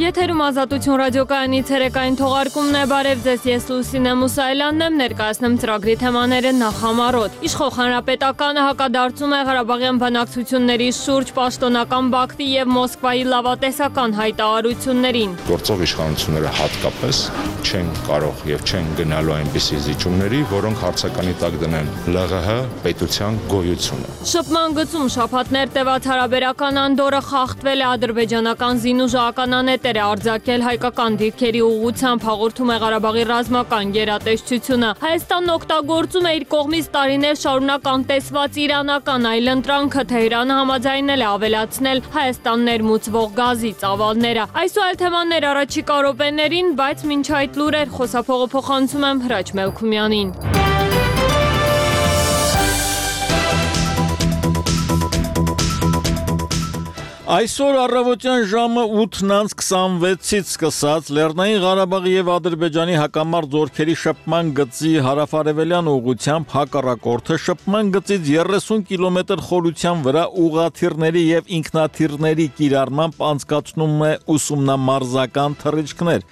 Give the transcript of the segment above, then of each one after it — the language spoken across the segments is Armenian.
Եթերում Ազատություն ռադիոկայանի ցերեկային թողարկումն է, բարև ձեզ, ես Լուսինե Մուսայելյանն եմ, ներկայացնում ծրագրի թեմաները նախամարոտ։ Իշխող հանրապետականը հակադարձում է Ղարաբաղյան բանակցությունների շուրջ պաշտոնական Բաքվի եւ Մոսկվայի լավատեսական հայտարարություններին։ Գործող իշխանությունները հատկապես չեն կարող եւ չեն գնալու այնպիսի զիջումների, որոնք հարցականի տակ դնեն ԼՂՀ պետության գոյությունը։ Շփման գծում շաբաթներ տևած հարաբերական անդորը խախտվել է, ադրբեջանական զինուժը ականանետեր է արձակել հայկական դիրքերի ուղղությամբ, հաղորդում է Ղարաբաղի ռազմական գերատեսչությունը։ Հայաստանն օգտագործում է իր կողմից տարիներ շարունակ անտեսված իրանական այլընտրանքը, Թեհրանը համաձայնել է ավելացնել Հայաստան ներմուծվող գազի ծավալները։ Այս ու այլ թեմաներ առաջիկա րոպեներին, բայց մինչ այդ լուրեր, խոսափողը փոխանցում եմ Հրաչ Մելքումյանին։ Այսօր առավոտյան ժամը 8:26-ից սկսած Լեռնային Ղարաբաղի եւ Ադրբեջանի հակամարտ զորքերի շփման գծի հարավարևելյան ուղղությամբ հակառակորդը շփման գծից 30 կիլոմետր խորության վրա ուղղաթիռների եւ ինքնաթիռների կիրառմամբ անցկացնում է ուսումնամարզական թռիչքներ։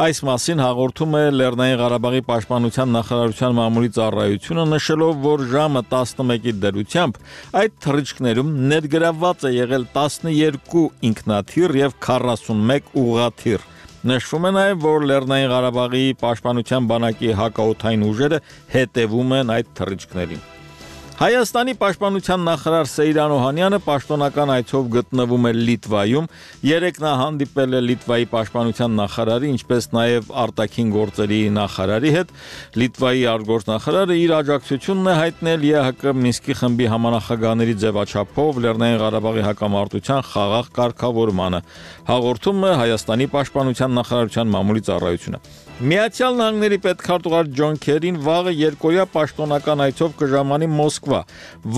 Այս մասին հաղորդում է Լեռնային Ղարաբաղի պաշտպանության նախարարության մամուլի ծառայությունը, նշելով, որ ժամը 11-ի դրությամբ այդ թռիչքներում ներգրավված է եղել 12 ինքնաթիռ եւ 41 ուղղաթիռ։ Նշվում է նաև, որ Լեռնային Ղարաբաղի պաշտպանության բանակի հակաօդային ուժերը հետևում են այդ թռիչքներին։ Հայաստանի պաշտպանության նախարար Սեյրան Օհանյանը պաշտոնական այցով գտնվում է Լիտվայում, երեկ նա հանդիպել է Լիտվայի պաշտպանության նախարարի, ինչպես նաև արտաքին գործերի նախարարի հետ։ Լիտվայի արտգործնախարարը իր աջակցությունն է հայտնել ԵՀԿ Մինսկի խմբի համանախագահների ձևաչափով Լեռնային Ղարաբաղի հակամարտության խաղաղ կարգավորմանը, հաղորդում է Հայաստանի պաշտպանության նախարարության մամուլի ծառայությունը։ Միացյալ Նահանգների պետքարտուղար Ջոն Քերին վաղը երկօրյա պաշտոնական այցով կժամանի Մոսկվա։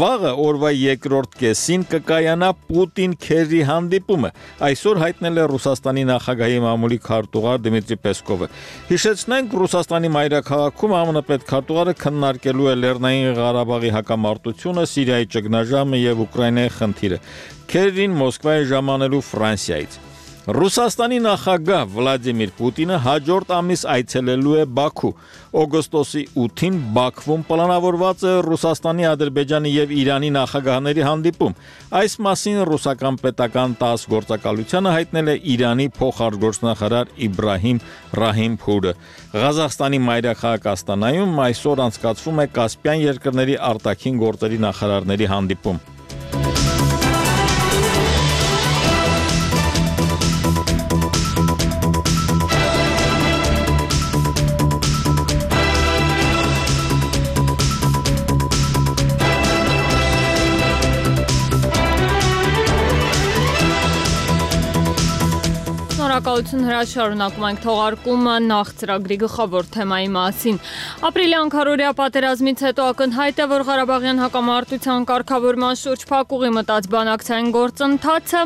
Վաղը օրվա երկրորդ կեսին կկայանա Պուտին-Քերի հանդիպումը, այսօր հայտնել է Ռուսաստանի նախագահի մամուլի քարտուղար Դմիտրի Պեսկովը։ Հիշեցնենք, Ռուսաստանի մայրաքաղաքում ԱՄՆ պետքարտուղարը քննարկելու է Լեռնային Ղարաբաղի հակամարտությունը, Սիրիայի ճգնաժամը եւ Ուկրաինայի խնդիրը։ Քերին Մոսկվա է ժամանելու Ֆրանսիայից։ Ռուսաստանի նախագահ Վլադիմիր Պուտինը հաջորդ ամիս այցելելու է Բաքու։ Օգոստոսի 8-ին Բաքվում պլանավորված է Ռուսաստանի, Ադրբեջանի եւ Իրանի նախագահների հանդիպում։ Այս մասին ռուսական պետական ՏԱՍՍ գործակալությանը հայտնել է Իրանի փոխարտգործնախարար Իբրահիմ Ռահիմփուրը։ Ղազախստանի մայրաքաղաք Աստանայում այսօր անցկացվում է Կասպյան երկրների արտաքին գործերի նախարարների հանդիպում։ Շնորհակալություն Հրաչ, շարունակում ենք թողարկումը նախ ծրագրի գլխավոր թեմայի մասին։ Ապրիլյան քարորիա պատերազմից հետո ակնհայտ է, որ Ղարաբաղյան հակամարտության կարգավորման շուրջ փակուղի մտած բանակցային գործընթացը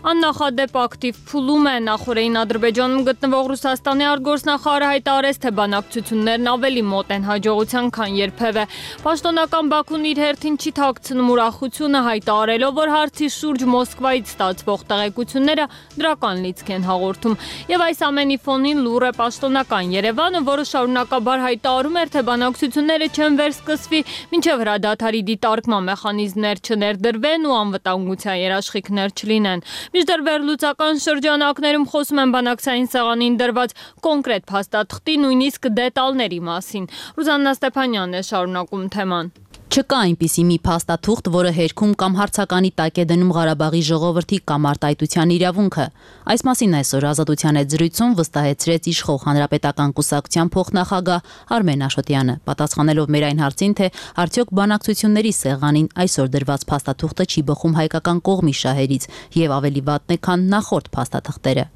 աննախադեպ ակտիվ փուլում է։ Նախորդին Ադրբեջանում գտնվող Ռուսաստանի արտգործնախարարը հայտարարեց, թե բանակցություններն ավելի մոտ են հաջողության, քան երբևէ։ Պաշտոնական Բաքուն իր հերթին չի թաքցնում ուրախությունը, հայտարարելով, որ հարցի շուրջ Մոսկվայից ստացվող տեղեկությունները դրական լիցք են հաղորդում։ Եվ այս ամենի ֆոնին լուր է պաշտոնական Երևանը, որը շարունակաբար հայտարարում էր, թե բանակցությունները չեն վերսկսվի, մինչև հրադադարի դիտարկման մեխանիզմներ չներդրվեն ու անվտանգության երաշխիքներ չլինեն։ Մինչդեռ վերլուծական շրջանակներում խոսում են բանակցային սեղանին դրված կոնկրետ փաստաթղթի, նույնիսկ դետալների մասին։ Ռուզաննա Ստեփանյանն է շարունակում թեման։ Չկա այնպիսի մի փաստաթուղթ, որը հերքում կամ հարցականի տակ է դնում Ղարաբաղի ժողովրդի կամ արտահայտության իրավունքը։ Այս մասին այսօր Ազատության հետ զրույցում վստահեցրեց իշխող հանրապետական կուսակցության փոխնախագահ Արմեն Աշոտյանը, պատասխանելով մեր այն հարցին, թե արդյոք բանակցությունների սեղանին այսօր դրված փաստաթուղթը չի բխում հայկական կողմի շահերից եւ ավելի վատն է, քան նախորդ փաստաթղթերը։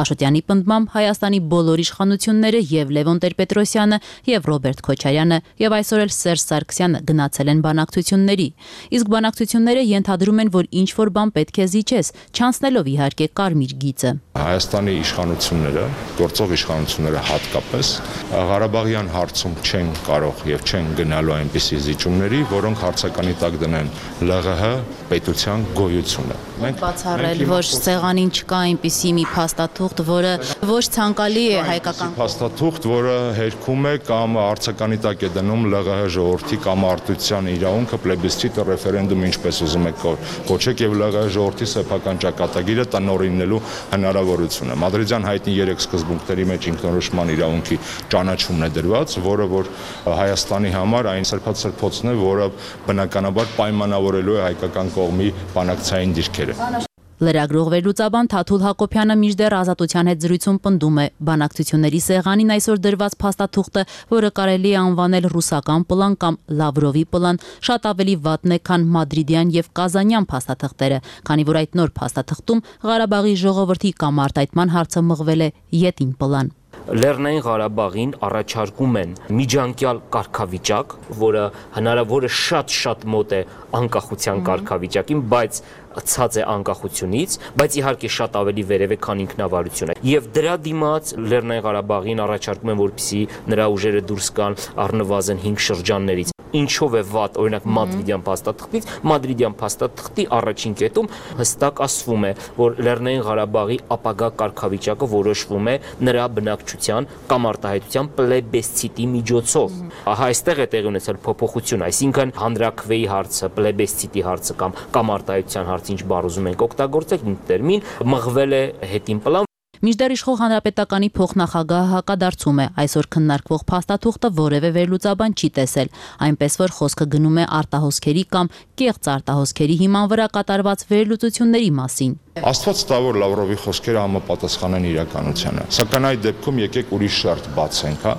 Աշոտյանի պնդմամբ Հայաստանի բոլոր իշխանությունները եւ Լևոն Տեր-Պետրոսյանը եւ Ռոբերտ Քոչարյանը եւ այսօր էլ Սերժ Սարգսյանը գնացել են բանակցությունների։ Իսկ բանակցությունները ենթադրում են, որ ինչ որ բան պետք է զիջես, չանցնելով իհարկե կարմիր գիծը։ Հայաստանի իշխանությունները, գործող իշխանությունները հատկապես Ղարաբաղյան հարցում չեն կարող եւ չեն գնալու այնպիսի զիջումների, որոնք հարցականի տակ դնեն ԼՂՀ պետության գոյությունը։ Մենք բացառել, որ սեղանին չկա այնպիսի մի փաստաթուղթ, որը ոչ ցանկալի է հայկական փաստաթուղթ, որը հերքում է կամ հարցականի տակ է դնում ԼՂՀ ժողովրդի կամ արտության իրավունքը պլեբիսցիտը ռեֆերենդում ինչպես ուզում եք կոչեք եւ ԼՂՀ ժողովրդի սեփական ճակատագիրը տնօրինելու հնարավորությունը։ Մադրիդյան հայտնի 3 սկզբունքների մեջ ինքնորոշման իրավունքի ճանաչումն է դրված, որը որ Հայաստանի համար այն սրբացրփոցն է, որը բնականաբար պայմանավորելու է հայկական կողմի բանակցային դիրքերը։ Լրագրող վերլուծաբան Թաթուլ Հակոբյանը մինչդեռ Ազատության հետ զրույցում պնդում է, բանակցությունների սեղանին այսօր դրված փաստաթուղթը, որը կարելի է անվանել ռուսական պլան կամ Լավրովի պլան, շատ ավելի վատն է, քան մադրիդյան եւ կազանյան փաստաթղթերը, քանի որ այդ նոր փաստաթղթում Ղարաբաղի ժողովրդի կամ արտահայտման հարցը մղվել է յետին պլան։ Լեռնային Ղարաբաղին առաջարկում են միջանկյալ կարգավիճակ, որը շատ մոտ է անկախության կարգավիճակին, բայց ցած է անկախությունից, բայց իհարկե շատ ավելի վերև է, քան ինքնավարությունը։ Եվ դրա դիմաց Լեռնային Ղարաբաղին առաջարկում են, որպեսզի նրա ուժերը դուրս գան առնվազն 5 շրջաններից։ Ինչով է վատ, օրինակ մադրիդյան փաստաթղթից, մադրիդյան փաստաթղթի առաջին կետում հստակ ասվում է, որ Լեռնային Ղարաբաղի ապագա կարգավիճակը որոշվում է նրա բնակչության կամ արտահայտության պլեբեսցիտի միջոցով։ Ահա այստեղ է տեղի ունեցել փոփոխություն, այսինքն հանրաքվեի հարցը, պլեբեսցիտի հարցը կամ արտահայտության հարցը, ինչ բառ ուզում ենք օգտագործել, ինչ տերմին, մղվել է հետին պլան։ Մինչդեռ իշխող հանրապետականի փոխնախագահը հակադարձում է, այսօր քննարկվող փաստաթուղթը որևէ վերլուծաբան չի տեսել, այնպես որ խոսքը գնում է արտահոսքերի կամ կեղծ արտահոսքերի հիման վրա կատարված վերլուծությունների մասին։ Աստված տա, որ Լավրովի խոսքերը համապատասխան են իրականությանը, սակայն այդ դեպքում եկեք ուրիշ շերտ բացենք, հա։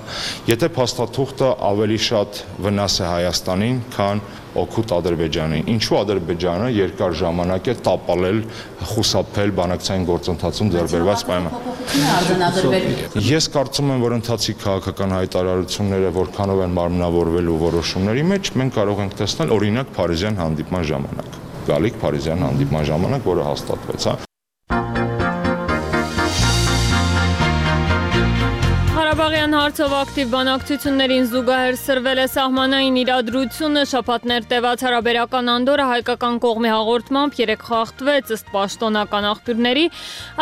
Եթե փաստաթուղթը ավելի շատ վնաս է Հայաստանին, քան օգուտ Ադրբեջանին, ինչու Ադրբեջանը երկար ժամանակ է տապալել, խուսափել բանակցային գործընթացում ձեռբերված պայմաններ։ Ես կարծում եմ, որ ընթացիկ քաղաքական հայտարարությունները որքանով են մարմնավորվելու որոշումների մեջ, մենք կարող ենք տեսնել օրինակ Փարիզյան հանդիպման ժամանակ։ Գալիք Փարիզյան հանդիպման ժամանակ, որը հաստատվեց, հա։ Ղարաբաղյան հարցով ակտիվ բանակցություններին զուգահեռ սրվել է սահմանային իրադրությունը, շաբաթներ տևած հարաբերական անդորը հայկական կողմի հաղորդմամբ 3 խախտվեց ըստ պաշտոնական աղբյուրների,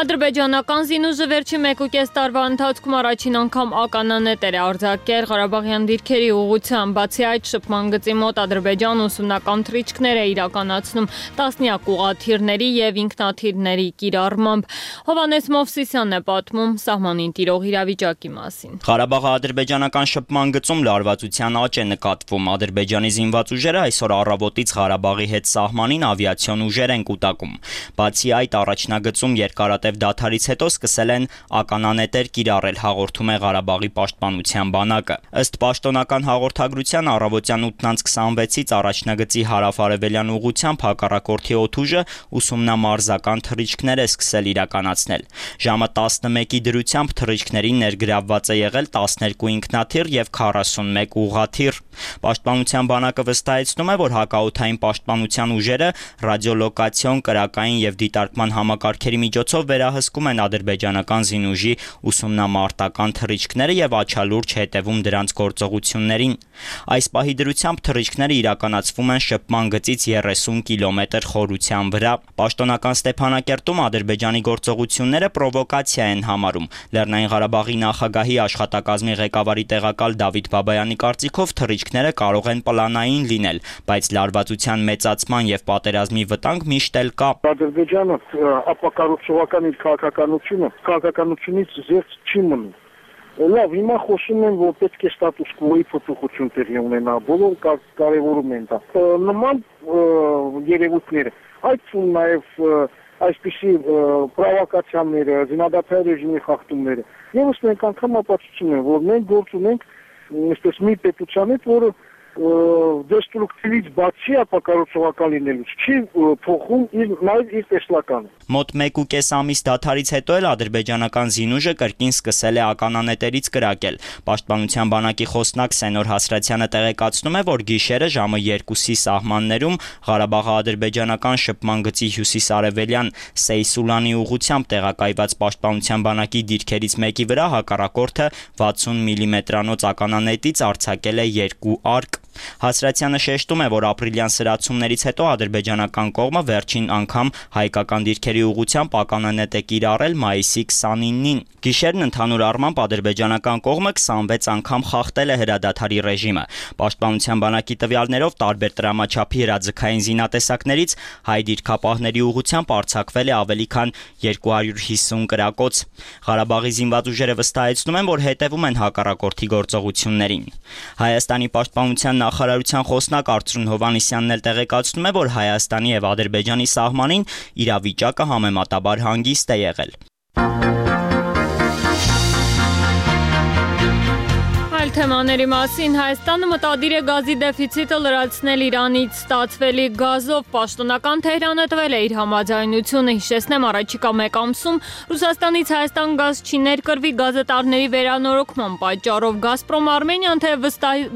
ադրբեջանական զինուժը վերջին 1.5 տարվա ընթացքում առաջին անգամ ականանետեր է արձակել Ղարաբաղյան դիրքերի ուղղությամբ, բացի այդ շփման գծի մոտ Ադրբեջան ուսումնական թռիչքներ է իրականացնում տասնյակ ուղղաթիռների եւ ինքնաթիռների կիրառմամբ։ Հովհաննես Մովսիսյանն է պատմում սահմանին տիրող իրավիճակի մասին։ Ղարաբաղի ադրբեջանական շփման գծում լարվածության աճ է նկատվում։ Ադրբեջանի զինված ուժերը այսօր առավոտից Ղարաբաղի հետ սահմանին ավիացիոն ուժեր են կուտակում։ Բացի այդ, առաջնագծում երկարատև դադարից հետո սկսել են ականանետեր կիրառել, հաղորդում է Ղարաբաղի պաշտպանության բանակը։ Ըստ պաշտոնական հաղորդագրության առավոտյան 8:26-ից առաջնագծի հարավ-արևելյան ուղղությամբ հակառակորդի օդուժը ուսումնամարզական թռիչքներ է սկսել իրականացնել։ Ժամը 11-ի դրությամբ թռիչքներին ներգրավված է եղել 12 ինքնաթիռ եւ 41 ուղղաթիռ։ Պաշտպանության բանակը վստահեցնում է, որ հակաօդային պաշտպանության ուժերը ռադիոլոկացիոն, կրակային եւ դիտարկման համակարգերի միջոցով վերահսկում են ադրբեջանական զինուժի ուսումնամարտական թռիչքները եւ աչալուրջ հետևում դրանց գործողություններին։ Այս պահի դրությամբ թռիչքները իրականացվում են շփման գծից 30 կիլոմետր խորության վրա։ Պաշտոնական Ստեփանակերտում Ադրբեջանի գործողությունները պրովոկացիա են համարում։ Լեռնային Ղարաբաղի նախագահի աշխատակազմի ղեկավարի տեղակալ Դավիթ Բաբայանի կարծիքով թռիչքները կարող են պլանային լինել, բայց լարվածության մեծացման եւ պատերազմի վտանգ միշտ էլ կա։ Ադրբեջանը ապակառուցողական իր քաղաքականությունից զերծ չի մնում։ Լավ, հիմա խոսում են, որ պետք է ստատուս կվոյի փոփոխություն տեղի ունենա, բոլոր կարևորում են դա։ Նման երևույթները, այդ նաև այսպիսի պրովոկացիաները, զինադադարի ռեժիմի խախտումները, եւս մենք անգամ ապացուցում են, որ մենք գործ ունենք այսպես մի պետության հետ, որը դեստրուկտիվից բացի ապակառուցողական լինելուց չի փոխում նաև իր տեսլականը։ Մոտ 1.5 ամիս դադարից հետո էլ ադրբեջանական զինուժը կրկին սկսել է ականանետերից կրակել։ Պաշտպանության բանակի խոսնակ Սենոր Հասրատյանը տեղեկացնում է, որ գիշերը ժամը 2-ի սահմաններում Ղարաբաղի ադրբեջանական շփման գծի հյուսիս-արևելյան Սեյսուլանի ուղղությամբ տեղակայված պաշտպանության բանակի դիրքերից մեկի վրա հակառակորդը 60 մմ-անոց ականանետից արձակել է 2 արկ։ Հասրատյանը շեշտում է, որ ապրիլյան սրացումներից հետո ադրբեջանական կողմը վերջին անգամ հայկական դիրքերի ուղղությամբ ականանետ է կիրառել մայիսի 29-ին։ Գիշերն ընդհանուր առմամբ ադրբեջանական կողմը 26 անգամ խախտել է հրադադարի ռեժիմը։ Պաշտպանության բանակի տվյալներով տարբեր տրամաչափի հրաձգային զինատեսակներից հայ դիրքապահների ուղղությամբ արձակվել է ավելի քան 250 կրակոց։ Ղարաբաղի զինված ուժերը վստահեցնում են, որ հետևում են հակառակորդի գործողություններին։ Հայաստանի պաշտպանության նախարարության խոսնակ Արծրուն Հովհաննիսյանն էլ տեղեկացնում է, որ Հայաստանի եւ Ադրբեջանի սահմանին իրավիճակը համեմատաբար հանգիստ է եղել։ Թեմաների մասին Հայաստանը մտադիր է գազի դեֆիցիտը լրացնել Իրանից ստացվելիք գազով։ Պաշտոնական Թեհրանը տվել է իր համաձայնությունը։ Հիշեցնեմ, առաջիկա մեկ ամսում Ռուսաստանից Հայաստան գազ չի ներկրվի գազատարների վերանորոգման պատճառով։ Գազպրոմ Արմենիան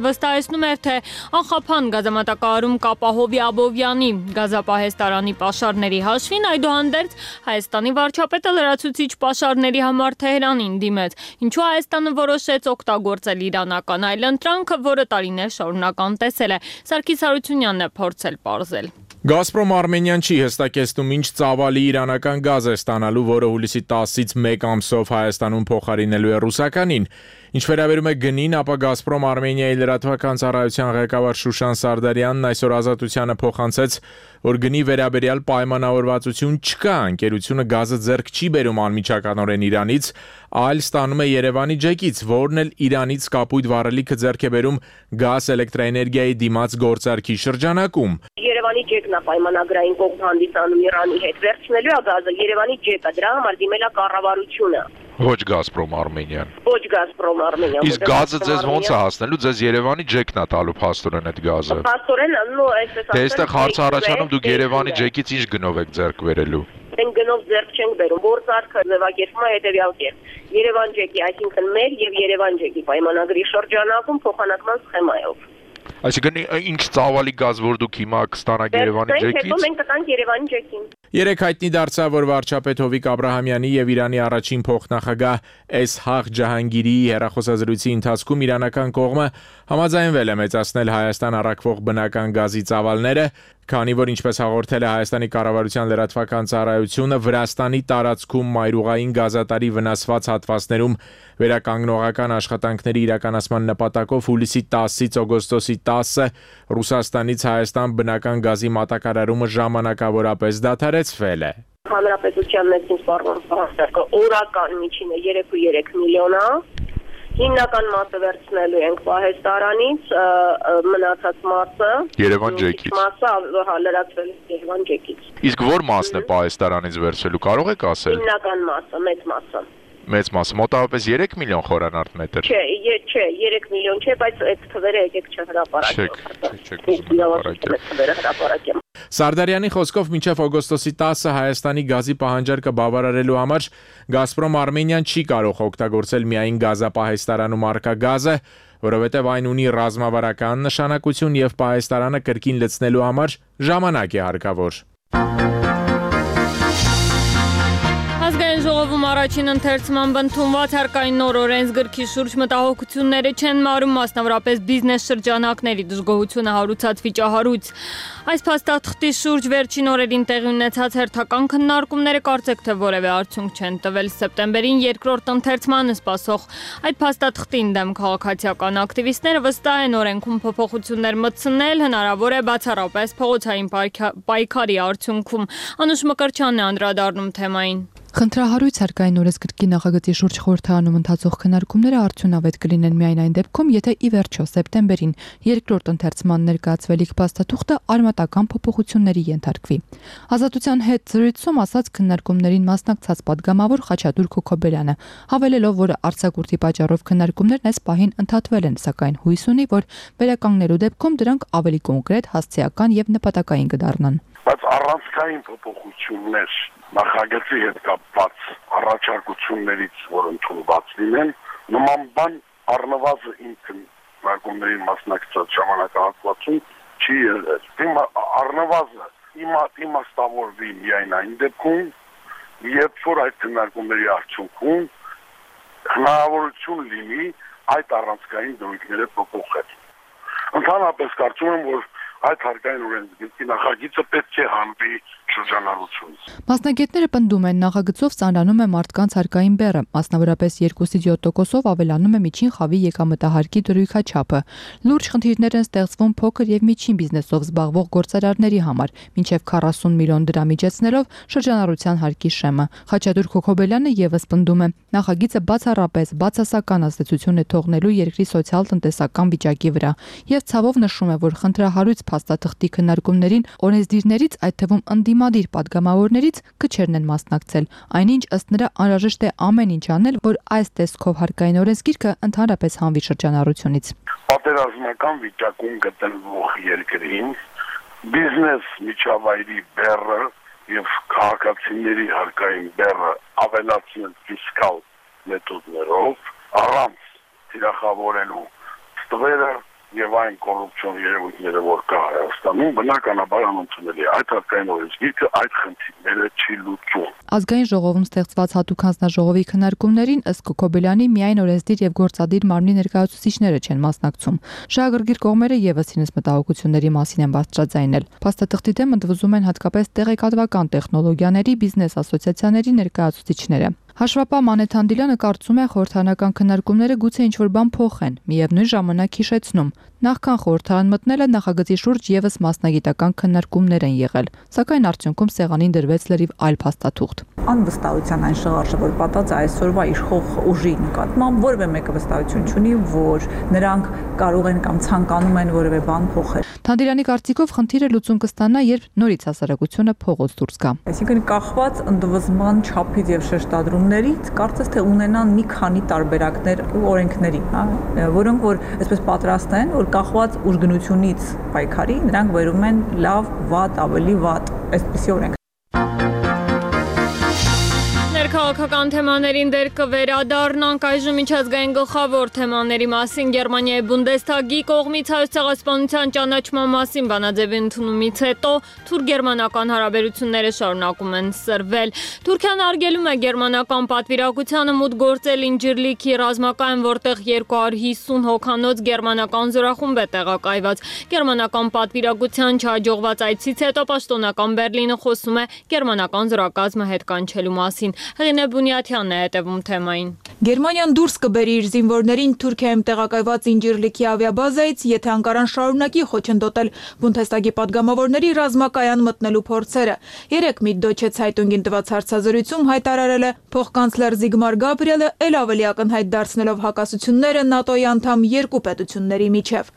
վստահեցնում էր, թե անխափան գազամատակարարում կապահովի Աբովյանի գազապահեստարանի պաշարների հաշվին, այդուհանդերձ Հայաստանի վարչապետը լրացուցիչ պաշարների համար Թեհրանին դիմեց, ինչու Հայաստանը որոշեց օգտագործել իրանական այլընտրանքը, որը տարիներ շարունակ անտեսել է։ Սարգիս Հարությունյանն է փորձել պարզել։ Գազպրոմ Արմենիան չի հստակեցնում ինչ ծավալի իրանական գազ է ստանալու, որը հուլիսի 10-ից 1 ամսով Հայաստանում փոխարինելու է ռուսականին։ Ինչ վերաբերում է գնին, ապա Գազպրոմ Արմենիայի լրատվական ծառայության ղեկավար Շուշան Սարդարյանն այսօր Ազատությանը փոխանցեց, որ գնի վերաբերյալ պայմանավորվածություն չկա, ընկերությունը գազը ձեռք չի բերում անմիջականորեն Իրանից, այլ ստանում է Երևանի ջեկից, որն էլ Իրանից կապույտ վառելիքը ձեռք է բերում գազ էլեկտրաէներգիայի դիմաց գործարքի շրջանակում։ Երևանի ջեկն է պայմանագրային կողմ հանդիսանում Իրանի հետ, վերցնելու է գազը Երևանի ջեկը, դրա համար դիմել է կառավարությունը։ Ոչ Գազպրոմ Արմենիան։ Ոչ Գազպրոմ Արմենիան։ Իսկ գազը ձեզ ոնց է հասնելու, ձեզ Երևանի ջեկն է տալու փաստորեն այդ գազը։ Փաստորեն, նո, այսպես Դե այստեղ հարց առաջանում դուք Երևանի ջեկից ինչ գնով եք ձեռք բերելու։ Մենք գնով ձեռք չենք բերում, գործարքը ձևակերպվում է հետևյալ կերպ։ Երևան ջեկի, այսինքն մեր եւ Երևան ջեկի պայմանագրի շրջանակում փոխանակման սխեմայով։ Այսինքն ինչ ծավալի գազ որ դուք հիմա կստանաք Երևանի ջեկից։ Հետո մենք կտանք Երևանի ջեկին։ Երեք հայտնի դարձավ, որ վարչապետ Հովիկ Աբրահամյանի եւ Իրանի առաջին փոխնախագահ Էսհաղ Ջահանգիրի հեռախոսազրույցի ընթացքում իրանական կողմը համաձայնվել է մեծացնել Հայաստան առաքվող բնական գազի ծավալները, քանի որ ինչպես հաղորդել է Հայաստանի կառավարության լրատվական ծառայությունը, Վրաստանի տարածքում մայրուղային գազատարի վնասված հատվածներում վերականգնողական աշխատանքների իրականացման նպատակով հուլիսի 10-ից օգոստոսի 10-ը Ռուսաստանից Հայաստան բնական գազի մատակարարումը ժամանակավորապես դադարեցվել է։ Հանրապետության ներքին սպառնալիքը օրական միջինը 3.3 միլիոն է։ Հիմնական մասը վերցնելու ենք պահեստարանից, մնացած մասը Երևան ջեկից։ Մասը լրացվել Երևան ջեկից։ Իսկ որ մասն է պահեստարանից վերցելու, կարող եք ասել։ Հիմնական մասը, մեծ մասը։ Մեծ մասը մոտավորապես 3 միլիոն խորանարդ մետր։ Չէ, 3 միլիոն չէ, բայց այդ թվերը եկեք չհրապարակեմ։ Սարդարյանի խոսքով մինչև օգոստոսի 10-ը Հայաստանի գազի պահանջարկը բավարարելու համար Գազպրոմ Արմենիան չի կարող օգտագործել միայն գազապահեստարանում առկա գազը, որովհետև այն ունի ռազմավարական նշանակություն եւ պահեստարանը կրկին լցնելու համար ժամանակ է հարկավոր։ Ազգային ժողովում առաջին ընթերցման ընդունված հարկային նոր օրենսգրքի շուրջ մտահոգությունները չեն մարում, մասնավորապես բիզնես շրջանակների դժգոհությունը հարուցած վիճահարույց։ Այս փաստաթղթի շուրջ վերջին օրերին տեղի ունեցած հերթական քննարկումները կարծեք թե որևէ արդյունք չեն տվել։ Սեպտեմբերին երկրորդ ընթերցմանը սպասող այդ փաստաթղթին դեմ քաղաքացիական ակտիվիստները վստահ են օրենքում փոփոխություններ մտցնել, հնարավոր է բացառապես փողոցային պայքարի արդյունքում։ Անուշ Մկրտչյանն է անդրադառնում թեմային։ Խնդրահարույց հարկային օրենսգրքի նախագծի շուրջ խորհրդարանում ընթացող քննարկումները արդյունավետ կլինեն միայն այն դեպքում, եթե ի վերջո սեպտեմբերին երկրորդ ընթերցման ներկայացվելիք փաստաթուղթը արմատական փոփոխությունների ենթարկվի։ Ազատության հետ զրույցում ասաց քննարկումներին մասնակցած падգամավոր Խաչատուր Քոքոբելյանը, հավելելով, որ արձակուրդի պատճառով քննարկումներն այս պահին ընդհատվել են, սակայն հույս ունի, որ վերականգնելու դեպքում դրանք ավելի կոնկրետ, հասցեական եւ նպատակային կդառնան։ Բայց առանցքային փոփոխություններ նախագծի հետ կապված առաջարկություններից, որ ընդունված լինեն, նման բան առնվազն ինքն քննարկումներին մասնակցած ժամանակահատվածում չի եղել։ Առնվազն իմաստավորվի միայն այն դեպքում, երբ որ այդ քննարկումների արդյունքում հնարավորություն լինի այդ առանցքային դրույթները փոփոխել։ Ընդհանրապես կարծում եմ, որ այդ հարկային օրենսգրքի նախագիծը պետք է հանվի շրջանառությունից։ Մասնագետները պնդում են, նախագծով ծանրանում է մարդկանց հարկային բեռը, մասնավորապես 2-7%-ով ավելանում է միջին խավի եկամտահարկի դրույքաչափը։ Լուրջ խնդիրներ են ստեղծվում փոքր եւ միջին բիզնեսով զբաղվող գործարարների համար, մինչեւ 40 միլիոն դրամ իջեցնելով շրջանառության հարկի շեմը։ Խաչատուր Քոքոբելյանը եւս պնդում է, նախագիծը բացառապես բացասական ազդեցություն է թողնելու երկրի սոցիալ-տնտեսական վիճակի վրա եւ ցավով նշում է, որ խնդրահարույց փաստաթղթի քննարկումներին օրենսդիրներից, այդ թվում ընդդիմադիր падգամավորներից քչերն են մասնակցել։ Այնինչ ըստ նրա անհրաժեշտ է ամեն ինչ անել, որ այս տեսքով հարկային օրենսգիրքը ընդհանրապես հանվի շրջանառությունից։ Պատերազմական վիճակում գտնվող երկրին բիզնես միջավայրի բեռը եւ քաղաքացիների հարկային բեռը ավելացնել ֆիսկալ մեթոդներով առանց թիրախավորելու ստվերը եւ այն կոռուպցիոն երևույթները, որ կա Հայաստանում, բնականաբար անընդունելի է։ Այդ հարկային օրենսգիրքը այդ խնդիրները չի լուծում։ Ազգային ժողովում ստեղծված հատուկ հանձնաժողովի քննարկումներին ըստ Քոքոբելյանի միայն օրենսդիր եւ գործադիր մարմնի ներկայացուցիչները չեն մասնակցում։ Շահագրգիռ կողմերը եւս իրենց մտահոգությունների մասին են բարձրաձայնել։ Փաստաթղթի դեմ ընդվզում են հատկապես տեղեկատվական տեխնոլոգիաների բիզնես ասոցիացիաների ներկայացուցիչները։ Հաշվապահ Մանեթ Հանդիլյանը կարծում է, խորհրդարանական քննարկումները գուցե ինչ-որ բան փոխեն, միևնույն ժամանակ հիշեցնում, նախքան խորհրդարան մտնելը նախագծի շուրջ եւս մասնագիտական քննարկումներ են եղել, սակայն արդյունքում սեղանին դրվեց լրիվ այլ փաստաթուղթ։ Անվստահության այն շղարշը, որ պատած այսօրվա իշխող ուժի նկատմամբ որևէ մեկը վստահություն չունի, որ նրանք կարող են կամ ցանկանում են որևէ բան փոխել։ Հանդիլյանի կարծիքով խնդիրը լուծում կստանա, երբ նորից հասարակությունը փողոց դուրս գա։ Այսինքն կախված ընդվզման չափից եւ շեշտադրումներից կարծես թե ունենան մի քանի տարբերակներ օրենքների, որոնք որ այսպես պատրաստ են, որ կախված ուժգնությունից պայքարի, նրանք վերում են լավ, վատ, ավելի վատ, այսպիսի օրենք։ Քաղաքական թեմաներին դեր կվերադառնանք այժմ միջազգային գլխավոր թեմաների մասին Գերմանիայի Բունդեսթագի կողմից Հայոց ցեղասպանության ճանաչման մասին բանաձևի ընդունումից հետո թուրք-գերմանական հարաբերությունները շարունակում են սրվել։ Թուրքիան արգելում է գերմանական պատվիրակությանը մուտք գործել Ինջիրլիքի ռազմակայան, որտեղ 250 հոգանոց գերմանական զորախումբ է տեղակայված։ Գերմանական պատվիրակության չհաջողված այցից հետո պաշտոնական Բերլինը խոսում է գերմանական զորակազմը հետ կանչելու մասին։ Հեղինե Բունյաթյանն է հետևում թեմային։ Գերմանիան դուրս կբերի իր զինվորներին Թուրքիայում տեղակայված Ինջիրլիքի ավիաբազայից, եթե Անկարան շարունակի խոչընդոտել Բունդեսթագի падգամավորների ռազմակայան մտնելու փորձերը։ Երեկ Միդդոյչե Ցայտունգին տված հարցազրույցում հայտարարել է փոխկանցլեր Զիգմար Գաբրիելը, ել ավելի ակնհայտ դարձնելով հակասությունները ՆԱՏՕ-ի անդամ երկու պետությունների միջև։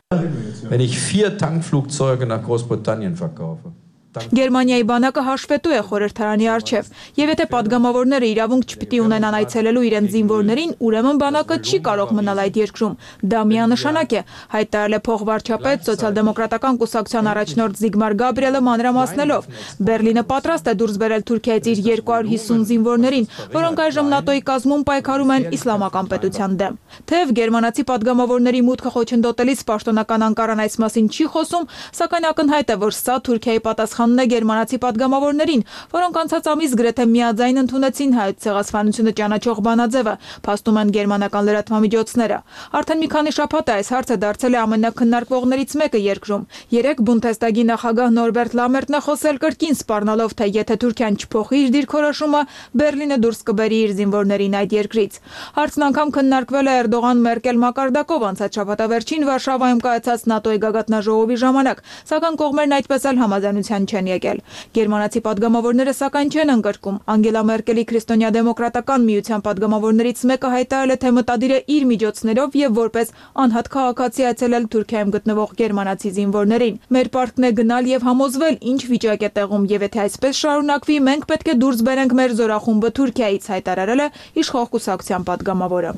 Wenn ich 4 Tankflugzeuge nach Großbritannien verkaufe. Գերմանիայի բանակը հաշվետու է խորհրդարանի առջև, եւ եթե падգամավորները իրավունք չպիտի ունենան այցելելու իրենց զինվորներին, ուրեմն բանակը չի կարող մնալ այդ երկրում։ Դա միանշանակ է, հայտարարել է փոխվարչապետ սոցիալ-դեմոկրատական կուսակցության առաջնորդ Զիգմար Գաբրիելը մանրամասնելով։ Բերլինը պատրաստ է դուրս բերել Թուրքիայից իր 250 զինվորներին, որոնք այժմ ՆԱՏՕ-ի կազմում պայքարում են իսլամական պետության դեմ։ Թեև գերմանացի падգամավորների մուտքը խոչընդոտելիս պաշտոնական Անկարան այս մասին չի խոսում, սակայն ակնհայտ է, որ սա Թուրքիայի պատասխանն է գերմանացի падգամավորներին, որոնք անցած ամիս գրեթե միաձայն ընդունեցին Հայոց ցեղասպանությունը ճանաչող բանաձևը, փաստում են գերմանական լրատվամիջոցները։ Արդեն մի քանի շաբաթ է այս հարցը դարձել է ամենակննարկվողներից մեկը երկրում։ Երեկ Բունդեսթագի նախագահ Նորբերտ Լամերտն է խոսել կրկին սպառնալով, թե եթե Թուրքիան չփոխի իր դիրքորոշումը, Բերլինը դուրս կբերի իր զինվորներին այդ երկրից։ Հարցն անգամ քննարկվել է Էրդողան-Մերկել մակարդակով անցած շաբաթավերջին Վարշավայում կայացած ՆԱՏՕ-ի գագաթնաժողովի ժամանակ, սակայն կողմերն այդպես էլ համաձայնության չեն եկել։ Գերմանացի պատգամավորները սակայն չեն ընդգրկում։ Անգելա Մերկելի քրիստոնյա-դեմոկրատական միության պատգամավորներից մեկը հայտարարել է, թե մտադիր է իր միջոցներով եւ որպես անհատ քաղաքացի այցելել Թուրքիայում գտնվող գերմանացի զինվորներին։ Մեր պարտքն է գնալ եւ համոզվել, ինչ վիճակ է տեղում, եւ եթե այսպես շարունակվի, մենք պետք է դուրս բերենք մեր զորախումբը Թուրքիայից, հայտարարել է իշխող կուսակցության պատգամավորը։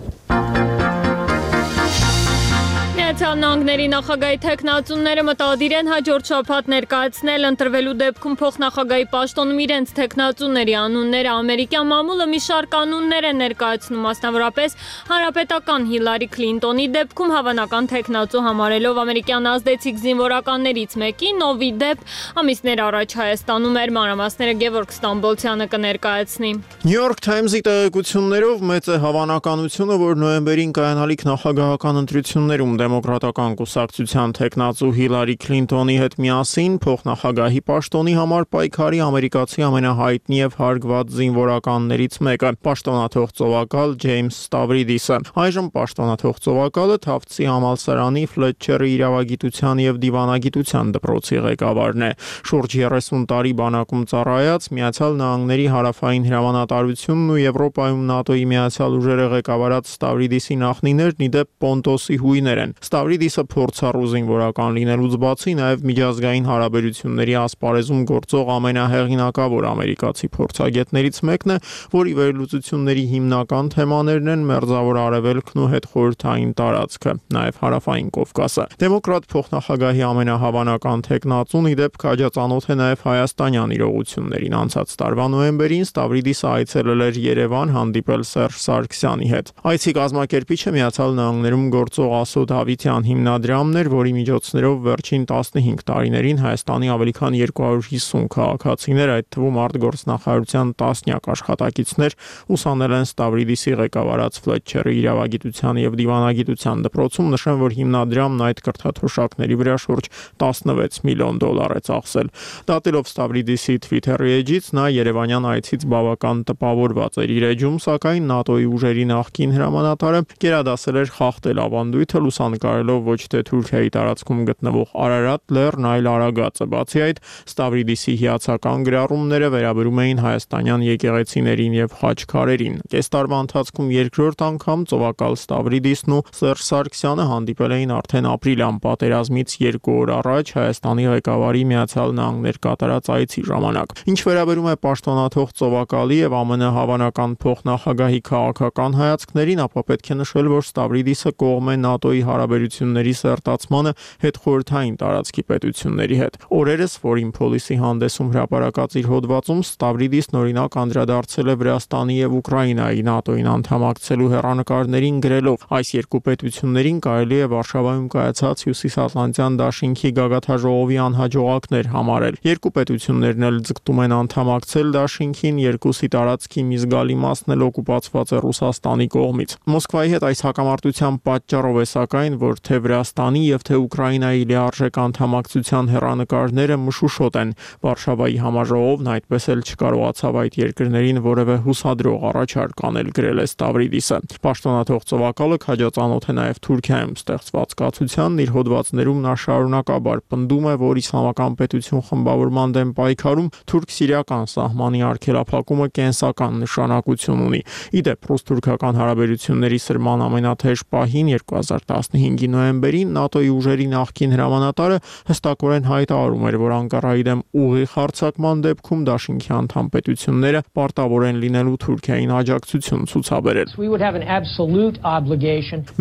Միացյալ Նահանգների նախագահի թեկնածուները մտադիր են հաջորդ շաբաթ ներկայացնել ընտրվելու դեպքում փոխնախագահի պաշտոնում իրենց թեկնածուների անունները։ Ամերիկյան մամուլը մի շարք անուններ է ներկայացնում, մասնավորապես հանրապետական Հիլարի Քլինտոնի դեպքում հավանական թեկնածու համարելով ամերիկյան ազդեցիկ զինվորականներից մեկին, ով ի դեպ ամիսներ առաջ Հայաստանում էր։ Մանրամասները Գևորգ Ստամբոլցյանը կներկայացնի։ New York Times-ի տեղեկություններով մեծ է հավանականությունը, որ նոյեմբերին կայանալիք նախագահական ընտրություններում դեմոկրատական կուսակցության թեկնածու Հիլարի Քլինտոնի հետ միասին փոխնախագահի պաշտոնի համար պայքարի ամերիկացի ամենահայտնի եւ հարգված զինվորականներից մեկը, պաշտոնաթող ծովակալ Ջեյմս Ստավրիդիսը։ Այժմ պաշտոնաթող ծովակալը Թավթսի համալսարանի Ֆլետչերի իրավագիտության եւ դիվանագիտության դպրոցի ղեկավարն է։ Շուրջ 30 տարի բանակում ծառայած, Միացյալ Նահանգների հարավային հրամանատարությունն ու Եվրոպայում ՆԱՏՕ-ի միացյալ ուժերը ղեկավարած Ստավրիդիսի նախնիներն ի դեպ Պոնտոսի հույներ են։ Ստավրիդիսը փորձառու զինվորական լինելուց բացի նաև միջազգային հարաբերությունների ասպարեզում գործող ամենահեղինակավոր ամերիկացի փորձագետներից մեկն է, որի վերլուծությունների հիմնական թեմաներն են Մերձավոր Արևելքն ու հետխորհրդային տարածքը, նաև Հարավային Կովկասը։ Դեմոկրատ փոխնախագահի ամենահավանական թեկնածուն ի դեպ քաջածանոթ է նաև հայաստանյան իրողություններին։ Անցած տարվա նոյեմբերին Ստավրիդիսը այցելել էր Երևան հանդիպել Սերժ Սարգսյանի հետ։ Այցի կազմակերպիչը Միացյալ Նահանգներում գործող Ասոդ Հավիտյան հիմնադրամն էր, որի միջոցներով վերջին 15 տարիներին Հայաստանի ավելի քան 250 քաղաքացիներ, այդ թվում արտգործնախարարության տասնյակ աշխատակիցներ ուսանել են Ստավրիդիսի ղեկավարած Ֆլետչերի իրավագիտության եւ դիվանագիտության դպրոցում։ Նշեմ, որ հիմնադրամն այդ կրթաթոշակների վրա շուրջ 16 միլիոն դոլար է ծախսել։ Դատելով Ստավրիդիսի Twitter-ի էջից, նա Երևանյան այցից բավական տպավորված էր իր էջում, սակայն ՆԱՏՕ-ի ուժերի նախկին հրամանատարը գերադասել էր խախտել ավանդույթը, լուսանկարելով ոչ թե Թուրքիայի տարածքում գտնվող Արարատ լեռն, այլ Արագածը։ Բացի այդ, Ստավրիդիսի հիացական գրառումները վերաբերում էին հայաստանյան եկեղեցիներին եւ խաչքարերին։ Կես տարվա ընթացքում երկրորդ անգամ ծովակալ Ստավրիդիսն ու Սերժ Սարգսյանը հանդիպել էին արդեն ապրիլյան պատերազմից 2 օր առաջ Հայաստանի ղեկավարի Միացյալ Նահանգներ կատարած այցի ժամանակ։ Ինչ վերաբերում է պաշտոնաթող ծովակալի եւ ԱՄՆ հավանական փոխնախագահի քաղաքական հայացքներին, ապա պետք է նշել, որ Ստավրիդիսը կողմ է ՆԱՏՕ-ի հարաբերությունների սերտացմանը հետխորհրդային տարածքի պետությունների հետ։ Օրերս Foreign Policy հանդեսում հրապարակած իր հոդվածում Ստավրիդիսն օրինակ անդրադարձել է Վրաստանի եւ Ուկրաինայի ՆԱՏՕ-ին անդամակցելու հեռանկարներին գրելով. այս երկու պետություններին կարելի է Վարշավայում կայացած Հյուսիսատլանտյան դաշինքի գագաթաժողովի անհաջողակներ համարել։ Երկու պետություններն էլ ձգտում են անդամակցել դաշինքին, երկուսի տարածքի մի զգալի մասն էլ օկուպացված է Ռուսաստանի կողմից։ Մոսկվայի հետ այս հակամարտության պատճառով է սակայն, որ թե Վրաստանի եւ թե Ուկրաինայի լիարժեք անդամակցության հեռանկարները մշուշոտ են։ Վարշավայի համաժողովն այդպես էլ չկարողացավ այդ երկրներին որևէ հուսադրող առաջարկ անել, գրել է Ստավրիդիսը։ Պաշտոնաթող ծովակալը քաջածանոթ է նաև Թուրքիայում ստեղծված կացությանն, իր հոդվածներում նա շարունակաբար պնդում է, որ իսլամական պետություն խմբավորման դեմ պայքարում թուրք-սիրիական սահմանի արգելափակումը կենսական նշանակություն ունի։ Ի դեպ, ռուս-թուրքական հարաբերությունների սրման ամենաթեժ պահին 2015-ի նոյեմբերին ՆԱՏՕ-ի ուժերի նախկին հրամանատարը հստակորեն հայտարարում էր, որ Անկարայի դեմ ուղիղ հարձակման դեպքում դաշինքի անդամ պետությունները պարտավոր են լինելու Թուրքիային աջակցություն ցուցաբերել։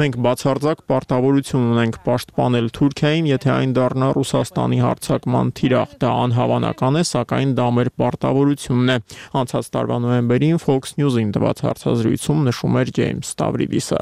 Մենք բացարձակ պարտավորություն ունենք պաշտպանել Թուրքիային, եթե այն դառնա Ռուսաստանի հարձակման թիրախ։ Դա անհավանական է, սակայն դա մեր պարտավորությունն է։ Անցած տարվա նոյեմբերին Fox News-ին տված հարցազրույցում նշում էր Ջեյմս Ստավրիդիսը։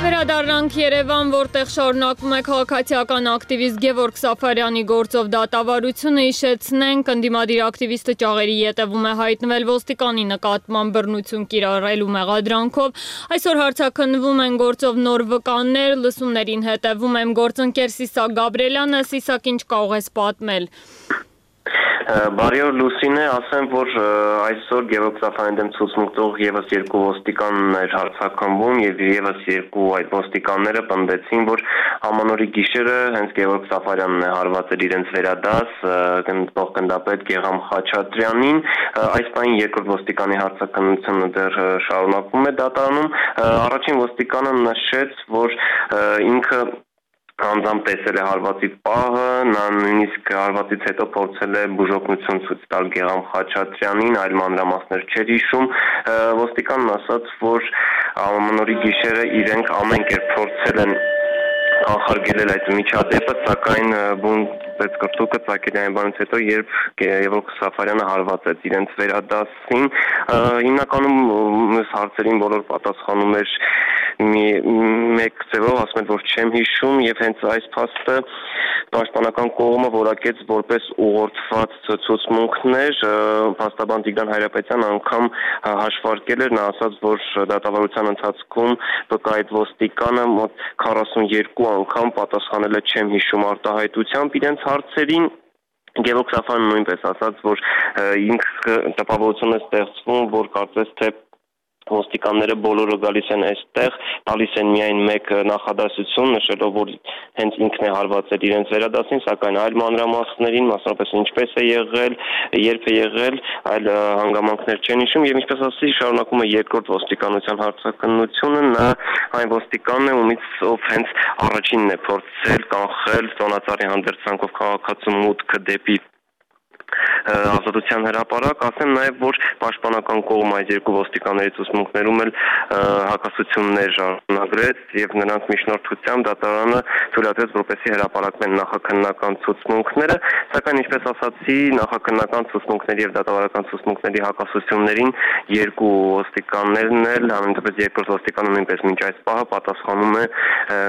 Վերադառնանք Երևան, որտեղ շարունակվում է քաղաքացիական ակտիվիստ Գևորգ Սաֆարյանի գործով դատավարությունը։ Հիշեցնենք, ընդդիմադիր ակտիվիստը ճաղերի ետևում է հայտնվել ոստիկանի նկատմամբ բռնություն կիրառելու մեղադրանքով։ Այսօր հարցաքննվում են գործով նոր վկաններ, լսումներին հետևում եմ գործընկեր Սիսակ Գաբրելյանը։ Սիսակ, ինչ կարող ես պատմել։ Բարի օր Լուսինե, ասեմ, որ այսօր Գևորգ Սաֆարյանի դեմ ցուցմունք տող եւս երկու ոստիկաններ հարձակվում եւ եւս երկու այդ ոստիկանները պնդեցին, որ ամանորի գիշերը հենց Գևորգ Սաֆարյանն է հարվածել իրենց վերադաս գնդապետ Գեգամ Խաչատրյանին, այս պահին երկրորդ ոստիկանի հարցաքննությունը դեռ շարունակվում է դատարանում, առաջին ոստիկանը նշեց, որ ինքը անձամբ տեսել է հարվածի պահը, նա նույնիսկ հարվածից հետո փորձել է բուժօգնություն ցույց տալ Գեգամ Խաչատրյանին, այլ մանրամասներ չէր հիշում, ոստիկանն ասաց, որ ամանորի գիշերը իրենք ամեն կերպ փորձել են կանխարգելել այդ միջադեպը, սակայն պետքրտուկը Ծակելյանից հետո երբ Գևորգ Սաֆարյանը հարվածեց իրենց վերադասին, հիմնականում այս հարցերին բոլոր պատասխանում էր մեկ ձևով, ասում են, որ չեմ հիշում եւ հենց այս փաստը պաշտպանական կողմը որակեց որպես ուղղորդված ցուցմունքներ, փաստաբան Տիգրան Հայրապետյանը անգամ հաշվարկել էր, նա ասաց, որ դատավարության ընթացքում վկայիչ ոստիկանը մոտ 42 անգամ պատասխանել է չեմ հիշում արտահայտությամբ իրենց հարցերին Գևորգ Սաֆարյանը նույնպես ասաց, որ ինքը տպավորություն է ստեղծվում, որ կարծես թե ոստիկանները բոլորը գալիս են այստեղ, տալիս են միայն մեկ նախադասություն, նշելով, որ հենց ինքն է հարվածել իրենց վերադասին, սակայն այլ մանրամասներին, մասնավորապես ինչպես է եղել, երբ է եղել, այլ հանգամանքներ չեն հիշում եւ ինչպես ասացի, շարունակում է երկրորդ ոստիկանության հարցաքննությունը, նա այն ոստիկանն է, ով հենց առաջինն է փորձել կանխել Տոնածառի հանդերձանքով քաղաքացու մուտքը դեպի ազատության հրապարակ, ասեմ նաև, որ պաշտպանական կողմը այս երկու ոստիկանների ցուցմունքներում էլ հակասություններ շարունակեց եւ նրանց միջնորդությամբ դատարանը թույլատրեց, որպեսզի հրապարակվեն նախաքննական ցուցմունքները, սակայն ինչպես ասացի, նախաքննական ցուցմունքների եւ դատավարական ցուցմունքների հակասություններին երկու ոստիկաններն էլ, համենայնպես երկրորդ ոստիկանը նույնպես մինչ այս պահը պատասխանում է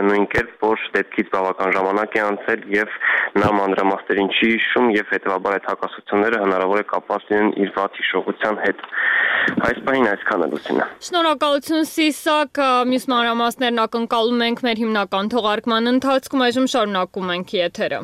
նույն կերպ, որ դեպքից բավական ժամանակ է անցել եւ նա մանրամասներին չի հիշում եւ հետեւաբար այդ հակասությունները հնարավոր է կապված լինեն իր վատ հիշողության հետ։ Այս պահին այսքանը Լուսինա։ Շնորհակալություն Սիսակ, մյուս մանրամասներն ակնկալում ենք մեր հիմնական թողարկման ընթացքում, այժմ շարունակում ենք եթերը։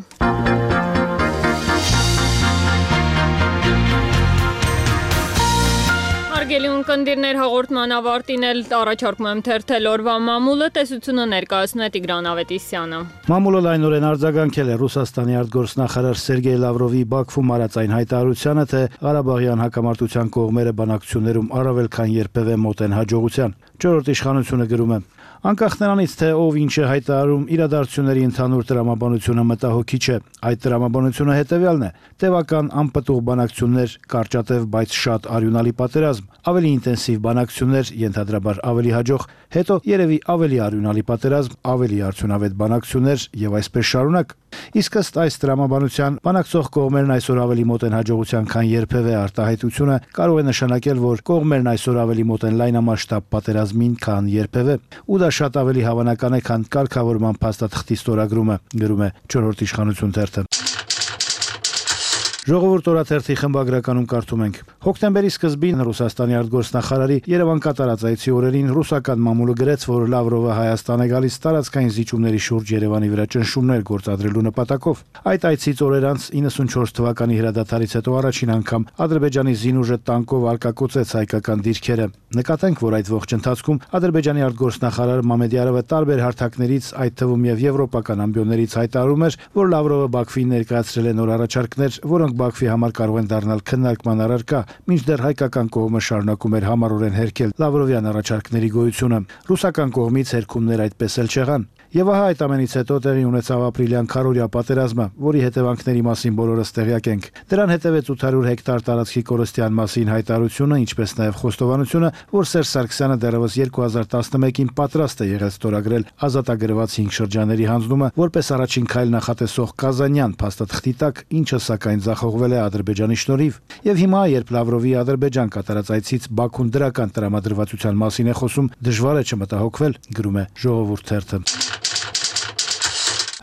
Հարգելի ունկնդիրներ, հաղորդման ավարտին էլ առաջարկում եմ թերթել օրվա մամուլը, տեսությունը ներկայացնում է Տիգրան Ավետիսյանը։ Մամուլը լայնորեն արձագանքել է Ռուսաստանի արտգործնախարար Սերգեյ Լավրովի Բաքվում արած այն հայտարարությանը, թե Ղարաբաղյան հակամարտության կողմերը բանակցություններում առավել քան երբևէ մոտ են հաջողության։ Չորրորդ իշխանությունը գրում է. Անկախ նրանից, թե ով ինչ է հայտարարում, իրադարձությունների ընդհանուր տրամաբանությունը մտահոգիչ է։ Այդ տրամաբանությունը հետևյալն է. տևական անպտուղ բանակցություններ, կարճատև, բայց շատ արյունալի պատերազմ, ավելի ինտենսիվ բանակցություններ, ենթադրաբար ավելի հաջող, հետո երևի ավելի արյունալի պատերազմ, ավելի արդյունավետ բանակցություններ եւ այսպես շարունակ։ Իսկ ըստ այս տրամաբանության բանակցող կողմերն այսօր ավելի մոտ են հաջողության, քան երբևէ արտահայտությունը կարող է նշանակել, որ կողմերն այսօր ավելի մոտ են լայնամասշտաբ պատերազմին, քան երբևէ, ու դա շատ ավելի հավանական է, քան կարգավորման փաստաթղթի ստորագրումը, գրում է Չորրորդ իշխանություն թերթը։ Ժողովուրդ օրաթերթի խմբագրականում կարդում ենք. Հոկտեմբերի սկզբին Ռուսաստանի արտգործնախարարի Երևան կատարած այցի օրերին ռուսական մամուլը գրեց, որ Լավրովը Հայաստան է գալիս տարածքային զիջումների շուրջ Երևանի վրա ճնշումներ գործադրելու նպատակով։ Այդ այցից օրեր անց 94 թվականի հրադադարից հետո առաջին անգամ Ադրբեջանի զինուժը տանկով արկակոծեց հայկական դիրքերը։ Նկատենք, որ այդ ողջ ընթացքում Ադրբեջանի արտգործնախարար Մամեդյարովը տարբեր հարթակներից, այդ թվում եւ եվրոպական ամբիոններից հայտարարում էր, որ Լավրովը Բաքվին ներկայացրել է նոր առաջարկներ, որոնք Բաքվի համար կարող են դառնալ քննարկման առարկա, մինչդեռ հայկական կողմը շարունակում էր համառորեն հերքել Լավրովյան առաջարկների գոյությունը։ Ռուսական կողմից հերքումներ այդպես էլ չեղան։ Եվ ահա այդ ամենից հետո տեղի ունեցավ ապրիլյան քարորիա պատերազմը, որի հետևանքների մասին բոլորս տեղյակ ենք։ Դրան հետևեց 800 հեկտար տարածքի կորստյան մասին հայտարարությունը, ինչպես նաև խոստովանությունը, որ Սերժ Սարգսյանը դեռևս 2011-ին պատրաստ է եղել ստորագրել ազատագրված 5 շրջանների հանձնումը, որպես առաջին քայլ նախատեսող Կազանյան փաստաթղթի տակ, ինչը սակայն ձախողվել է Ադրբեջանի շնորհիվ։ Եվ հիմա, երբ Լավրովի Ադրբեջան կատարած այցից Բաքուն դրական տրամադրվածության մասին է խոսում, դժվար է չմտահոգվել, գրում է Ժողովուրդ թերթը։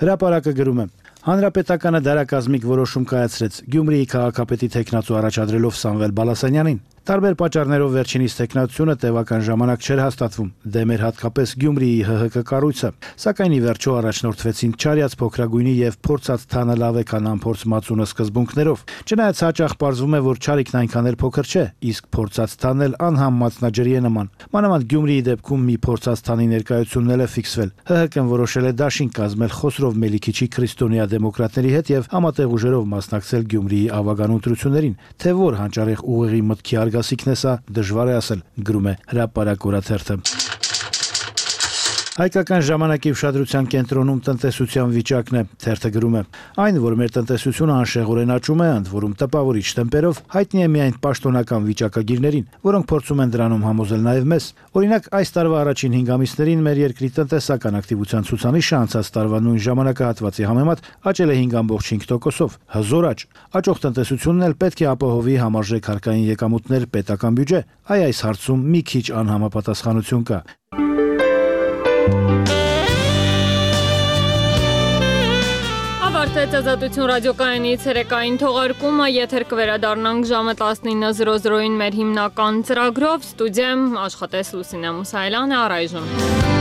Հրապարակը գրում է. Հանրապետականը դարակազմիկ որոշում կայացրեց Գյումրիի քաղաքապետի թեկնածու առաջադրելով Սամվել Բալասանյանին։ Տարբեր պատճառներով վերջինիս թեկնածությունը տևական ժամանակ չէր հաստատվում, դեմ էր հատկապես Գյումրիի ՀՀԿ կառույցը, սակայն ի վերջո առաջնորդվեցին չարյաց փոքրագույնի եւ փորձած թանը լավ է քան անփորձ մածունը սկզբունքներով։ Չնայած հաճախ պարզվում է, որ չարիքն այնքան էլ փոքր չէ, իսկ փորձած թանն էլ անհամ մածնաջրի է նման։ Մանավանդ Գյումրիի դեպքում մի փորձած թանի ներկայությունն էլ է ֆիքսվել։ ՀՀԿ-ն որոշել է դաշինք կազմել Խոսրով Մելիքիչի քրիստոնյա դեմոկրատների հետ եւ համատեղ ուժերով մասնակցել Գյումրիի ավագան ընտրություններին, թե որ հանճարեղ ուղեղի մտքի արգասիքն է սա, դժվար է ասել, գրում է Հրապարակ օրաթերթը։ Հայկական ժամանակի ուշադրության կենտրոնում տնտեսության վիճակն է, թերթը գրում է։ Այն, որ մեր տնտեսությունը անշեղորեն աճում է, ընդ որում տպավորիչ տեմպերով, հայտնի է միայն պաշտոնական վիճակագիրներին, որոնք փորձում են դրանում համոզել նաև մեզ։ Օրինակ, այս տարվա առաջին 5 ամիսներին մեր երկրի տնտեսական ակտիվության ցուցանիշը անցած տարվա նույն ժամանակահատվածի համեմատ աճել է 5.5%-ով, հզոր աճ։ Աճող տնտեսությունն էլ պետք է ապահովի համարժեք հարկային եկամուտներ, պետական բյուջե։ Այս հարցում մի քիչ անհամապատասխանություն կա։ Ավարտեց Ազատություն ռադիոկայանի ցերեկային թողարկումը, եթեր կվերադառնանք ժամը 19:00-ին մեր հիմնական ծրագրով, ստուդիայում աշխատեց Լուսինե Մուսայելյանը, առայժմ